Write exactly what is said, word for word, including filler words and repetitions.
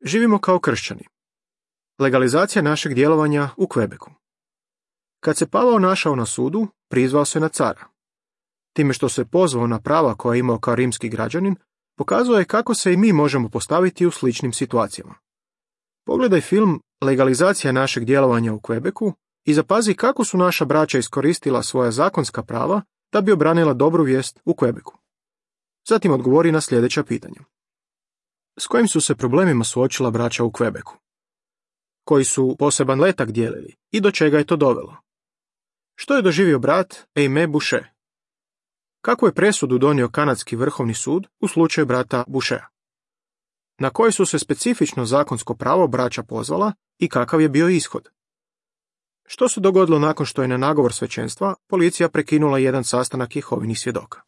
Živimo kao kršćani. Legalizacija našeg djelovanja u Quebecu. Kad se Pavao našao na sudu, prizvao se na cara. Time što se pozvao na prava koja je imao kao rimski građanin, pokazuje je kako se i mi možemo postaviti u sličnim situacijama. Pogledaj film Legalizacija našeg djelovanja u Quebecu i zapazi kako su naša braća iskoristila svoja zakonska prava da bi obranila dobru vijest u Quebecu. Zatim odgovori na sljedeća pitanja. S kojim su se problemima suočila braća u Quebecu? Koji su poseban letak dijelili i do čega je to dovelo? Što je doživio brat Aimé Boucher? Kakvu je presudu donio kanadski vrhovni sud u slučaju brata Bouchera? Na koje su se specifično zakonsko pravo braća pozvala i kakav je bio ishod? Što se dogodilo nakon što je na nagovor svećenstva policija prekinula jedan sastanak Jehovinih svjedoka?